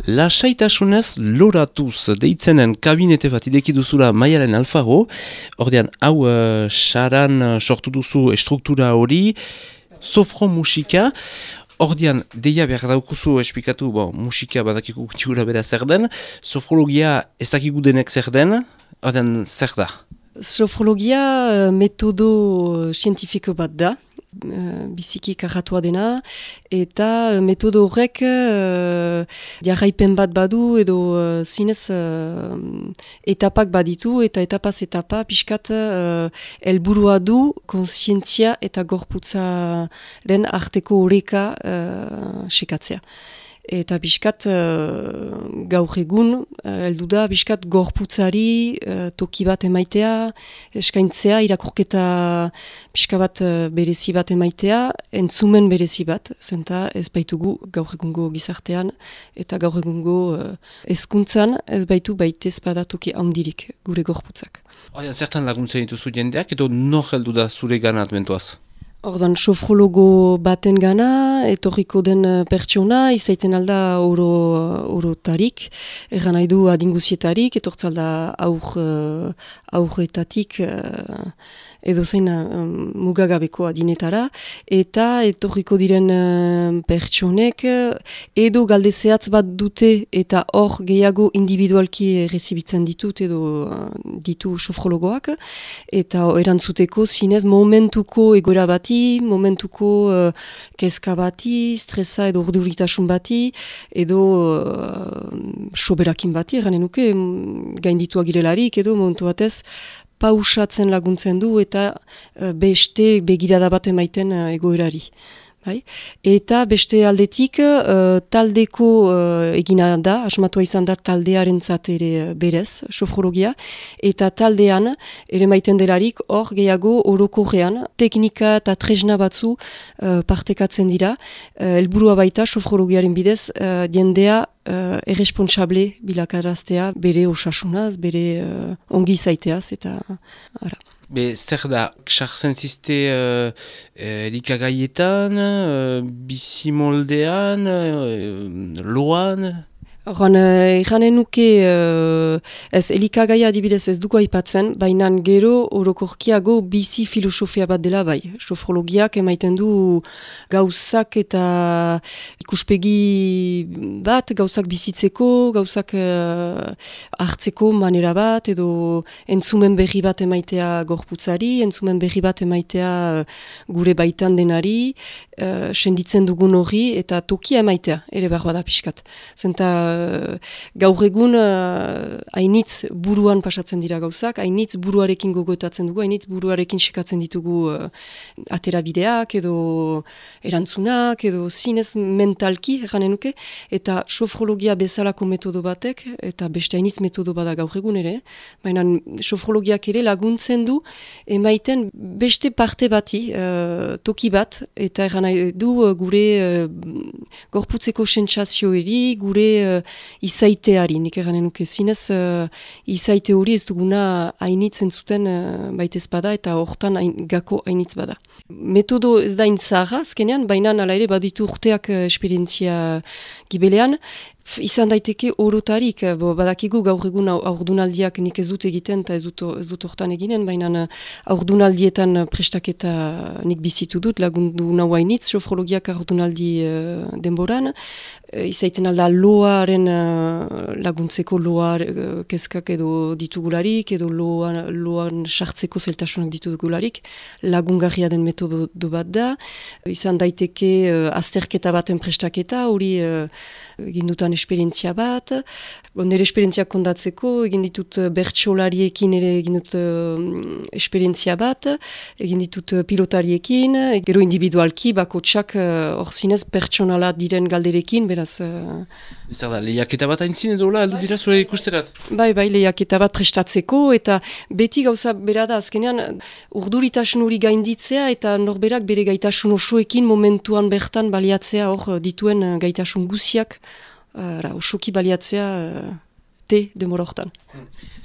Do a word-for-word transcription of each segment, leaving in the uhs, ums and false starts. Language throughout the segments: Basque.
Lasaitasunez loratuz deitzenen kabinete bat ideki duzula Maialen Alfaro, ordean hau uh, saran uh, sortu duzu estruktura hori, sofro musika, ordean deia behar daukuzu esplikatu, bon, musika badakiku gutiura bera zer den, sofrologia ez dakigu denek zer den, ordean zer da? Sofrologia metodo zientifiko bat da, biziki karratua dena, eta metodo horrek uh, jarraipen bat badu edo uh, zinez uh, etapak baditu, eta etapaz etapa pixkat uh, helburua du konsientzia eta gorputzaren arteko oreka uh, sekatzea. Eta biskat uh, gaur egun, uh, heldu da, biskat gorputzari uh, toki bat emaitea, eskaintzea, irakurketa pixka bat uh, berezi bat emaitea, entzumen berezi bat, zenta ez baitugu gaur egungo gizartean, eta gaur egungo uh, hezkuntzan ez baitu baitez bada toki handirik gure gorputzak. Oia, zertan laguntzen dituzu jendeak, edo nor heldu da zure ganat mentuaz? Ordan, sofrologo baten gana, etorriko den pertsona, izaiten alda oro, orotarik, erran nahi du adinguzietarik, etortzalda aur, aurretatik, edo zein um, mugagabeko adinetara, eta etorriko diren uh, pertsonek, edo galdezeatz bat dute, eta hor gehiago individualki rezibitzen ditut, edo uh, ditu sofrologoak, eta erantzuteko zinez momentuko egoera bati, momentuko uh, kezka bati, stresa edo urduritasun bati, edo uh, soberakin bati, eranen nuke, gainditua girelarik, edo momentu batez, pausatzen laguntzen du eta uh, beste begirada bat emaiten uh, egoerari. Bai? Eta beste aldetik uh, taldeko uh, egina da, asmatua izan da taldearentzat ere berez, sofrologia, eta taldean ere maiten delarik hor gehiago orokorrean teknika eta tresna batzu uh, partekatzen dira, uh, helburua baita sofrologiaren bidez uh, jendea Uh, erresponsable bilakaraztea, bere osasunaz, bere uh, ongi zaiteaz, eta ara. Be, zer da, sartzen ziste uh, elikagaietan, uh, bizimoldean, uh, loan? Horren, iranen nuke, uh, ez elikagaia adibidez ez duko aipatzen, baina gero orokorkiago bizi filosofia bat dela bai. Sofrologiak emaiten du gauzak eta ikuspegi bat, gauzak bizitzeko, gauzak uh, hartzeko manera bat, edo entzumen berri bat emaitea gorputzari, entzumen berri bat emaitea uh, gure baitan denari, uh, senditzen dugun hori, eta tokia emaitea, ere behar bada pixkat. Zenta gaur egun uh, hainitz buruan pasatzen dira gauzak, hainitz buruarekin gogoetatzen dugu, hainitz buruarekin sekatzen ditugu uh, aterabideak edo erantzunak edo zinez mentalki erranen nuke, eta sofrologia bezalako metodo batek, eta beste hainitz metodo bada gaur egun ere, baina sofrologiak ere laguntzen du emaiten beste parte bati, uh, toki bat, eta erran du uh, gure uh, gorputzeko sentsazioeri, gure uh, izaiteari, nik eranen nuke zinez, uh, izaite hori ez duguna hainitzen zuten uh, baitez bada, eta hortan hain, gako hainitz bada. Metodo ez da intzaga, azkenean, baina ala ere baditu urteak uh, esperientzia gibelean, izan daiteke orotarik, badakigu gaur egun aurdunaldiak nik ez dut egiten eta ez dut, ez dut hortan eginen, baina aurdunaldietan prestaketa nik bizitu dut, lagundu nahuainitz, sofrologiak aurdunaldi uh, denboran, uh, izaiten alda loaren uh, laguntzeko loa uh, kezkak edo ditugularik, edo loa, loan sartzeko zeltasunak ditugularik, lagungarria den metodo bat da, izan daiteke uh, azterketa baten prestaketa, hori uh, egin dutan esperientzia bat, bon, nire esperientzia kondatzeko, egin ditut bertsolariekin ere egin dut uh, esperientzia bat, egin ditut pilotariekin, gero individualki, bako txak hor uh, zinez pertsonala diren galderekin, beraz... Uh, Zer da, lehiaketa bat haintzin edo la, aldu dira zure ikusterat? Bai, bai, lehiaketa bat prestatzeko, eta beti gauza bera da, azkenean urduritasun hori gainditzea, eta norberak bere gaitasun osoekin momentuan bertan baliatzea hor dituen gaitasun guziak, Uh, osoki baliatzea uh, te demora hortan.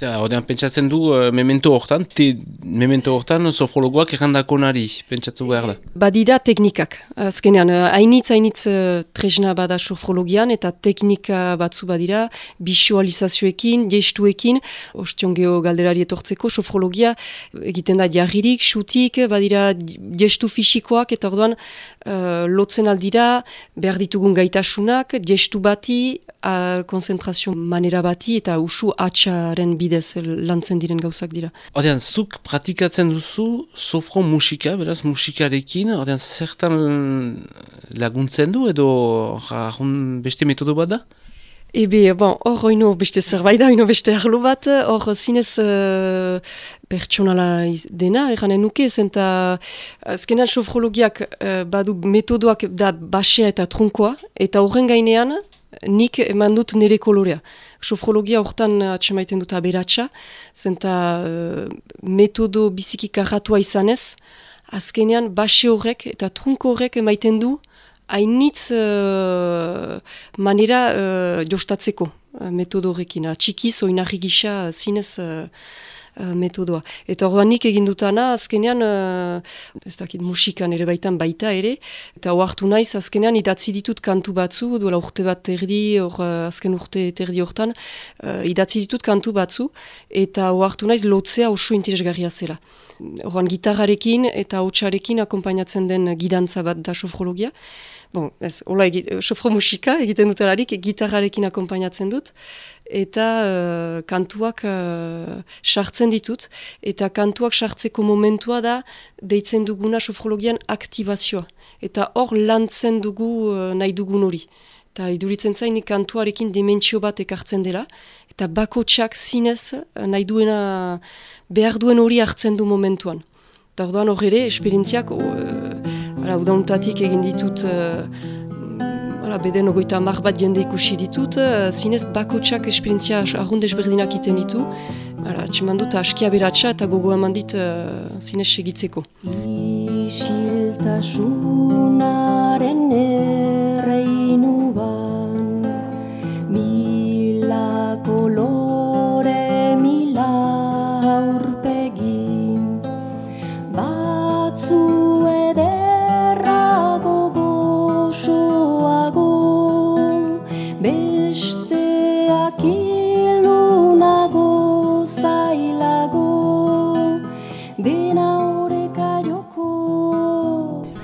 Horrean pentsatzen du, uh, memento hortan, te memento hortan sofrologoak errandako nari, pentsatu behar da. Badira teknikak. Azkenean, hainitz, hainitz uh, tresna bada sofrologian, eta teknika batzu badira, visualizazioekin, gestuekin, ostion geho galderari etortzeko, sofrologia egiten da jarririk, xutik, badira gestu fisikoak, eta orduan uh, lotzen aldira, behar ditugun gaitasunak, gestu bati, uh, konzentrazio manera bati, eta usu atxaren bidez lantzen diren gauzak dira. Ordean, zuk pratikatzen duzu sofro musika, beraz musikarekin, ordean zertan laguntzen du edo jarrun beste metodo bat da? Ebe, bon, hor oino beste zerbait da, oino beste arlo bat, hor zinez uh, pertsonala dena, eranen nuke, zenta azkenean sofrologiak uh, badu metodoak da basea eta trunkoa, eta horren gainean nik eman dut nire kolorea. Sofrologia hortan atxemaiten dut aberatsa, zenta uh, metodo biziki karratua izanez, azkenean base horrek eta trunko horrek emaiten du hainitz uh, manera uh, jostatzeko uh, metodo horrekin. Txikiz, oinarri gisa zinez uh, uh, metodoa. Eta horrean nik egin dutana, azkenean, uh, ez dakit musikan ere baitan baita ere, eta oartu naiz, azkenean idatzi ditut kantu batzu, duela urte bat terdi, or, uh, azken urte terdi hortan, uh, idatzi ditut kantu batzu, eta oartu naiz lotzea oso interesgarria zela. Horrean gitarrarekin eta hautsarekin akompainatzen den gidantza bat da sofrologia. Bon, ez, hola, sofro musika egiten dutelarik, gitarrarekin akompainatzen dut, eta uh, kantuak sartzen uh, ditut, eta kantuak sartzeko momentua da deitzen duguna sofrologian aktibazioa, eta hor lantzen dugu uh, nahi dugun hori. Eta iduritzen zain kantuarekin dimentsio bat ekartzen dela, eta bakotsak zinez nahi duena, behar duen hori hartzen du momentuan. Eta orduan hor ere, esperientziak, uh, udauntatik egin ditut, uh, ala, beden ogoita mar bat jende ikusi ditut, uh, zinez bakotsak esperientzia arrunde ezberdinak iten ditu, atseman dut askia beratxa eta gogo eman dit uh, zinez segitzeko. Isiltasunaren erreinu ban, mila kolore, mila aurpegi, batzu ederrago gozoago, besteak ilunago zailago, dena horeka joko.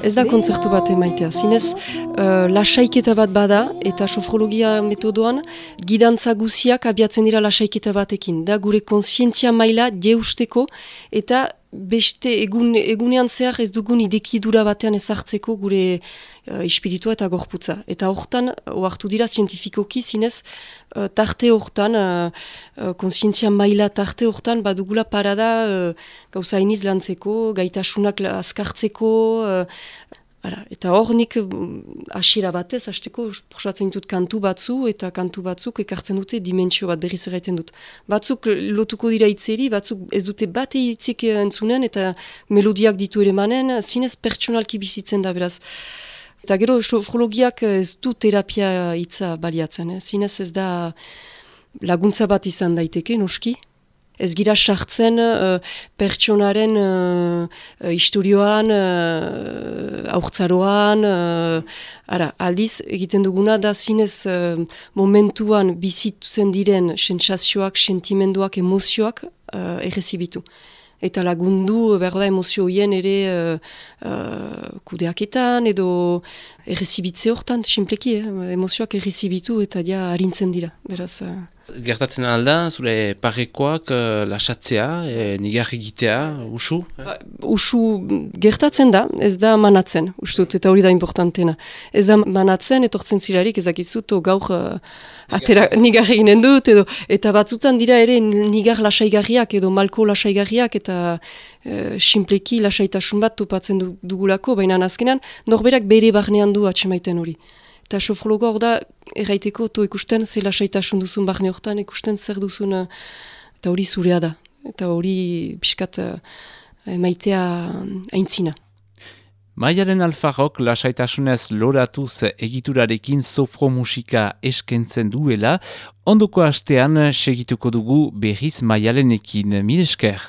Ez da kontzertu bat emaitea, zinez uh, lasaiketa bat bada eta sofrologia metodoan gidantza guziak abiatzen dira lasaiketa batekin. Da gure kontzientzia maila jeusteko eta beste egun, egunean zehar ez dugun idekidura batean ezartzeko gure uh, espiritua eta gorputza. Eta hortan, oartu dira zientifikoki zinez, uh, tarte hortan, uh, uh, kontzientzia maila tarte hortan, badugula parada uh, gauza iniz lantzeko, gaitasunak azkartzeko, uh, Ara, eta hor nik hasiera batez, hasteko prosatzen ditut kantu batzu, eta kantu batzuk ekartzen dute dimentsio bat berriz erraiten dut. Batzuk lotuko dira hitzeri, batzuk ez dute bate hitzik entzunen, eta melodiak ditu ere manen, zinez pertsonalki bizitzen da beraz. Eta gero sofrologiak ez du terapia hitza baliatzen, eh? Zinez ez da laguntza bat izan daiteke, noski. Ez gira sartzen uh, pertsonaren uh, historioan, uh, aurtzaroan, uh, ara, aldiz egiten duguna da zinez uh, momentuan bizitzen diren sentsazioak, sentimenduak, emozioak uh, errezibitu. Eta lagundu, behar da, emozio hien ere uh, uh, kudeaketan edo errezibitze hortan, simpleki, eh? Emozioak errezibitu eta ja harintzen dira, beraz... Uh, Gertatzen alda, zure parekoak uh, lasatzea, e, nigarri egitea, usu? Eh? Usu gertatzen da, ez da manatzen, ustut, eta hori da importantena. Ez da manatzen, etortzen zirarik, ezakizut, gaur uh, atera, nigarri ginen dut, edo, eta batzutan dira ere nigar lasaigarriak, edo malko lasaigarriak, eta uh, simpleki lasaitasun bat topatzen dugulako, baina azkenan, norberak bere barnean du atsemaiten hori. Eta sofrologoa hor da, erraiteko to ikusten, ze lasaitasun duzun barne hortan, ikusten zer duzun, eta hori zurea da. Eta hori pixkat uh, maitea aintzina. Maialen Alfarrok lasaitasunez loratuz egiturarekin sofro musika eskentzen duela, ondoko astean segituko dugu berriz Maialenekin. Mil esker.